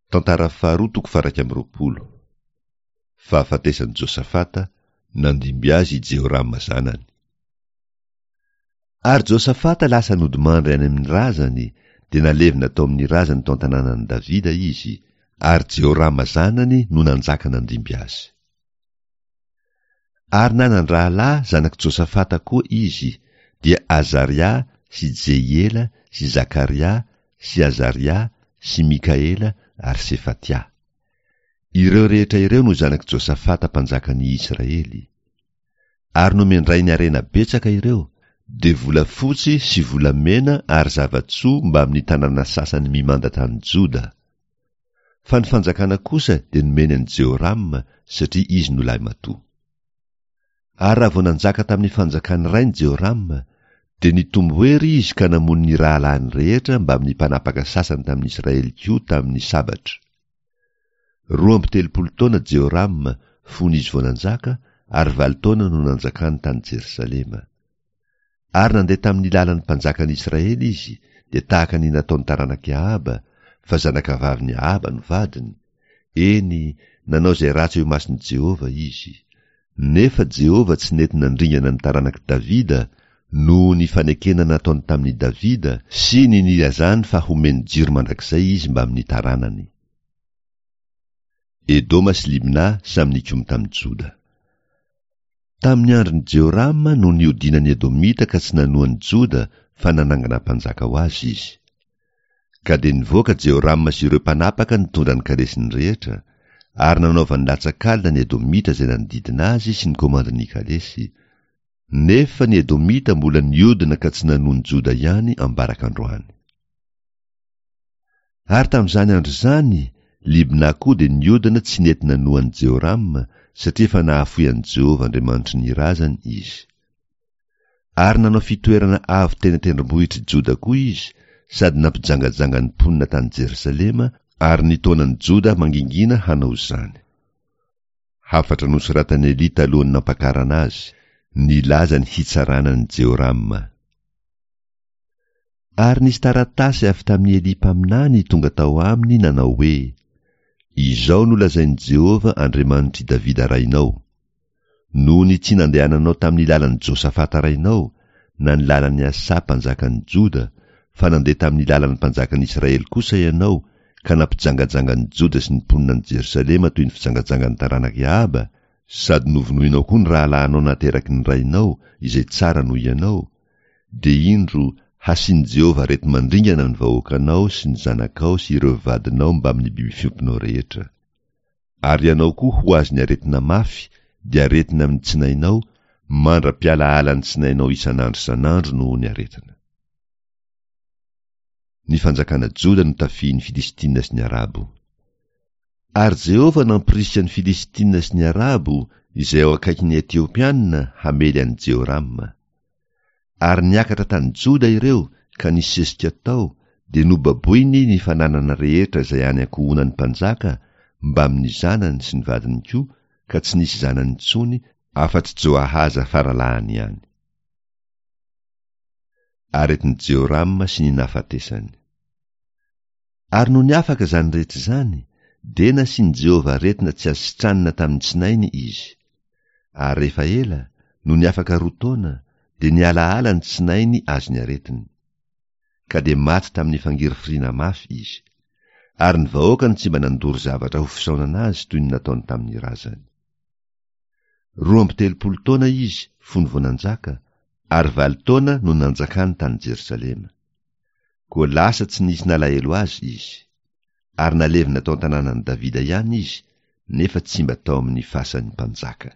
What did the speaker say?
Tantara faharoa toko faha-21. Fahafatesan'i Josafata, nandimby azy i Jehorama zanany. Ary Josafata lasa nodimandry any amin'ny razany, dia nalevina tao amin'ny razany tao an-tanànan'i Davida izy, ary Jehorama zanany no nanjaka nandimby azy. Ary nanan-drahalahy zanak'i Josafata koa izy, dia Azaria sy Jehiela sy Zakaria sy Azaria sy Mikaela ary Sefatia. Ireo rehetra ireo no zanak'i Josafata mpanjakan'i Israely. Ary nomen-drainy harena betsaka ireo, dia volafotsy sy volamena ary zava-tsoa mbamin'ny tanàna sasany mimanda tany Joda. Fa ny fanjakana kosa dia nomeny an'i Jehorama, satria izy no lahimatoa. Ary raha vao nanjaka tamin'ny fanjakan'ny rainy Jehorama, dia nitombo hery izy ka namono ny rahalahiny rehetra mbamin'ny mpanapaka sasany tamin'ny Israely koa tamin'ny sabatra. 32 taona Jehorama fony izy vao nanjaka, ary valo taona no nanjakany tany Jerosalema. Ary nandeha tamin'ny lalan'ny mpanjakan'i Israely izy, dia tahaka ny nataon'ny taranak'i Ahaba, fa zanakavavin'i Ahaba no vadiny, eny, nanao izay ratsy eo imason'i Jehovah izy. Nefa Jehovah tsy nety nandringana ny taranak'i Davida noho ny fanekena nataony tamin'i Davida sy ny nilazany fa homeny jiro mandrakizay izy mbamin'ny taranany. Edoma sy Libna samy nikomy tamin'i Joda. Tamin'ny andron'i Jehorama no nihodinan'ny Edomita ka tsy nanoa an'i Joda fa nanangana mpanjaka ho azy izy. Ka dia nivoaka Jehorama sy ireo mpanapaka nitondra ny kalesiny rehetra, ary nanaovany latsak'alina ny Edomita izay nanodidina azy sy ny komandin'ny kalesy, nefa ny Edomita mbola nihodina ka tsy nanoa an'i Joda ihany ambaraka androany. Ary tamin'izany andro izany, Libna koa dia niodina tsy nety nanoa an'i Jehorama, satria efa nahafoy an'i Jehovah Andriamanitry ny razany izy. Ary nanao fitoerana avo teny an-tendrombohitr'i Joda koa izy, sady nampijangajanga ny mponina tany Jerosalema, ary nitaona an'i Joda mangingina hanao izany. Hafatra nosoratan'i Elia talohan'ny nampakarana azy, nilaza ny hitsarana an'i Jehorama. Ary nisy taratasy avy tamin'i Elia mpaminany tonga tao aminy nanao hoe, Izao no lazain'i Jehovah Andriamanitr'i Davida rainao, Noho ny tsy nandehananao tamin'ny lalan'i Josafata rainao, na ny lalan'i Asa mpanjakan'i Joda, fa nandeha tamin'ny lalan'ny mpanjakan'i Israely kosa ianao, ka nampijangajanga an'i Joda sy ny mponina any Jerosalema toy ny fijangajangan'ny taranak'i Ahaba, sady novonoinao koa ny rahalahinao nateraky ny rainao, izay tsara noho ianao, dia indro, hasian'i Jehovah areti-mandringana ny vahoakanao sy ny zanakao sy ireo vadinao mbamin'ny biby fiompinao rehetra. Ary ianao koa ho azon'ny aretina mafy, dia aretina amin'ny tsinainao, mandra-pialahalan'ny tsinainao isan'andro isan'andro noho ny aretina. Ny fanjakana Joda notafihin'ny Filistina sy ny Arabo. Ary Jehovah nampirisika ny Filistina sy ny Arabo, izay ao akaikin'ny Etiopiana, hamely an'i Jehorama. Ary niakatra tany Joda ireo ka nisesika tao, dia nobaboiny ny fananana rehetra izay any ankohonan'ny mpanjaka mbamin'ny zanany sy ny vadiny koa, ka tsy nisy zanany intsony afa-tsy Joahaza faralahiny ihany. Aretin'i Jehorama sy ny nahafatesany. Ary nony afaka izany rehetra izany, dia nasian'i Jehovah aretina tsy azo sitranina tamin'ny tsinainy izy. Ary rehefa ela, nony afaka roa taona, dia nihalahala ny tsinainy azon'ny aretiny. Ka dia maty tamin'ny fangirifiriana mafy izy. Ary ny vahoakany tsy mba nandoro zavatra ho fisaonana azy toy ny nataony tamin'ny razany. 32 taona izy fony vao nanjaka, ary valo taona no nanjakany tany Jerosalema. Koa lasa tsy nisy nalahelo azy izy. Ary nalevina tao an-tanànan'i Davida ihany izy, nefa tsy mba tao amin'ny fasan'ny mpanjaka.